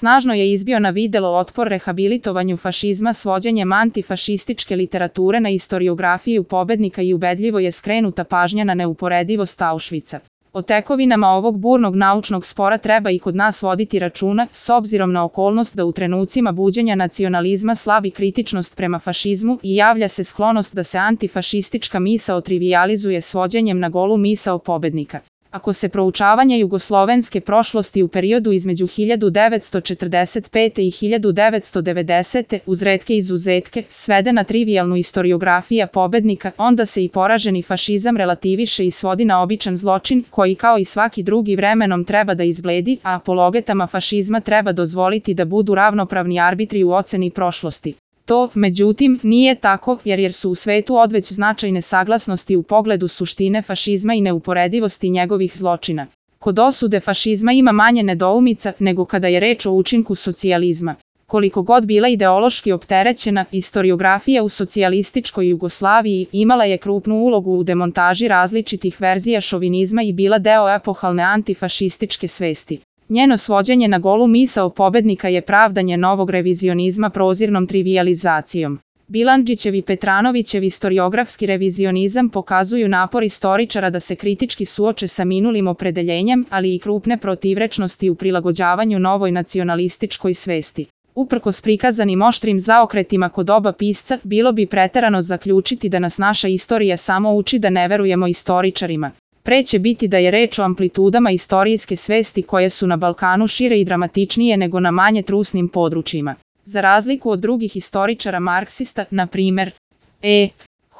Snažno je izbio na videlo otpor rehabilitovanju fašizma svođenjem antifašističke literature na istoriografiju pobednika i ubedljivo je skrenuta pažnja na neuporedivost Auschwitza. O tekovinama ovog burnog naučnog spora treba i kod nas voditi računa, s obzirom na okolnost da u trenucima buđenja nacionalizma slabi kritičnost prema fašizmu i javlja se sklonost da se antifašistička misao trivijalizuje svođenjem na golu misao pobednika. Ako se proučavanje jugoslovenske prošlosti u periodu između 1945. i 1990. uz retke izuzetke svede na trivijalnu istoriografija pobednika, onda se i poraženi fašizam relativiše i svodi na običan zločin, koji kao i svaki drugi vremenom treba da izbledi, a apologetama fašizma treba dozvoliti da budu ravnopravni arbitri u oceni prošlosti. To, međutim, nije tako, jer su u svetu odveć značajne saglasnosti u pogledu suštine fašizma i neuporedivosti njegovih zločina. Kod osude fašizma ima manje nedoumica nego kada je reč o učinku socijalizma. Koliko god bila ideološki opterećena, istoriografija u socijalističkoj Jugoslaviji imala je krupnu ulogu u demontaži različitih verzija šovinizma i bila deo epohalne antifašističke svesti. Njeno svođenje na golu misao pobednika je pravdanje novog revizionizma prozirnom trivijalizacijom. Bilandžićev i Petranovićev istoriografski revizionizam pokazuju napor istoričara da se kritički suoče sa minulim opredeljenjem, ali i krupne protivrečnosti u prilagođavanju novoj nacionalističkoj svesti. Uprkos prikazanim oštrim zaokretima kod oba pisca, bilo bi preterano zaključiti da nas naša istorija samo uči da ne verujemo istoričarima. Pre će biti da je reč o amplitudama istorijske svesti koje su na Balkanu šire i dramatičnije nego na manje trusnim područjima. Za razliku od drugih istoričara marksista, na primer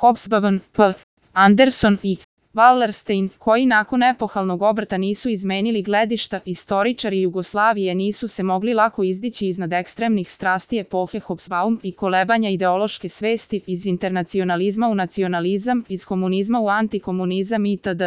Hobsbawm, P. Anderson i Wallerstein, koji nakon epohalnog obrta nisu izmenili gledišta, istoričari Jugoslavije nisu se mogli lako izdići iznad ekstremnih strasti epohe Hobsbawm i kolebanja ideološke svesti iz internacionalizma u nacionalizam, iz komunizma u antikomunizam itd.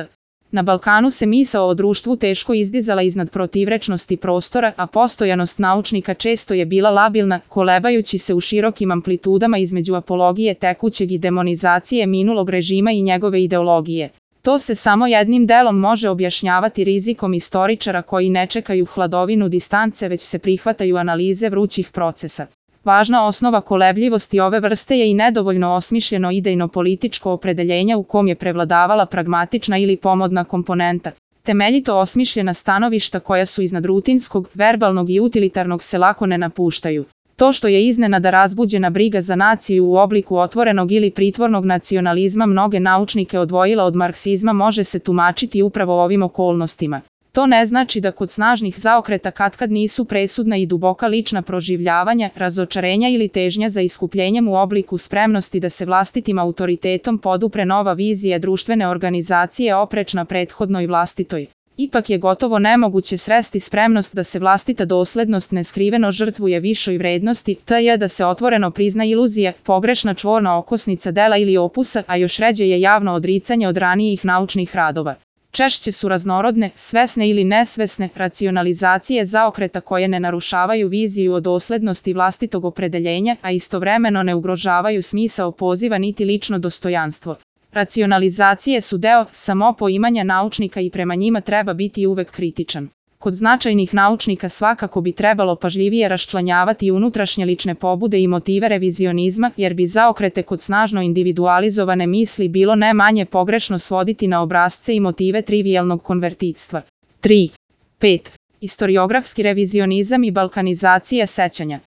Na Balkanu se misao o društvu teško izdizala iznad protivrečnosti prostora, a postojanost naučnika često je bila labilna, kolebajući se u širokim amplitudama između apologije tekućeg i demonizacije minulog režima i njegove ideologije. To se samo jednim delom može objašnjavati rizikom istoričara koji ne čekaju hladovinu distance već se prihvataju analize vrućih procesa. Važna osnova kolebljivosti ove vrste je i nedovoljno osmišljeno idejno-političko opredeljenje u kom je prevladavala pragmatična ili pomodna komponenta. Temeljito osmišljena stanovišta koja su iznad rutinskog, verbalnog i utilitarnog se lako ne napuštaju. To što je iznenada razbuđena briga za naciju u obliku otvorenog ili pritvornog nacionalizma mnoge naučnike odvojila od marksizma može se tumačiti upravo ovim okolnostima. To ne znači da kod snažnih zaokreta katkad nisu presudna i duboka lična proživljavanja, razočarenja ili težnja za iskupljenjem u obliku spremnosti da se vlastitim autoritetom podupre nova vizija društvene organizacije oprečna prethodnoj vlastitoj. Ipak je gotovo nemoguće sresti spremnost da se vlastita doslednost neskriveno žrtvuje višoj vrednosti, t.j. da se otvoreno prizna iluzija, pogrešna čvorna okosnica dela ili opusa, a još ređe je javno odricanje od ranijih naučnih radova. Češće su raznorodne, svesne ili nesvesne, racionalizacije zaokreta koje ne narušavaju viziju o doslednosti vlastitog opredeljenja, a istovremeno ne ugrožavaju smisao poziva niti lično dostojanstvo. Racionalizacije su deo samopoimanja naučnika i prema njima treba biti uvek kritičan. Kod značajnih naučnika svakako bi trebalo pažljivije raščlanjavati unutrašnje lične pobude i motive revizionizma, jer bi zaokrete kod snažno individualizovane misli bilo ne manje pogrešno svoditi na obrasce i motive trivijalnog konvertitstva. 3. 5. Istoriografski revizionizam i balkanizacija sećanja.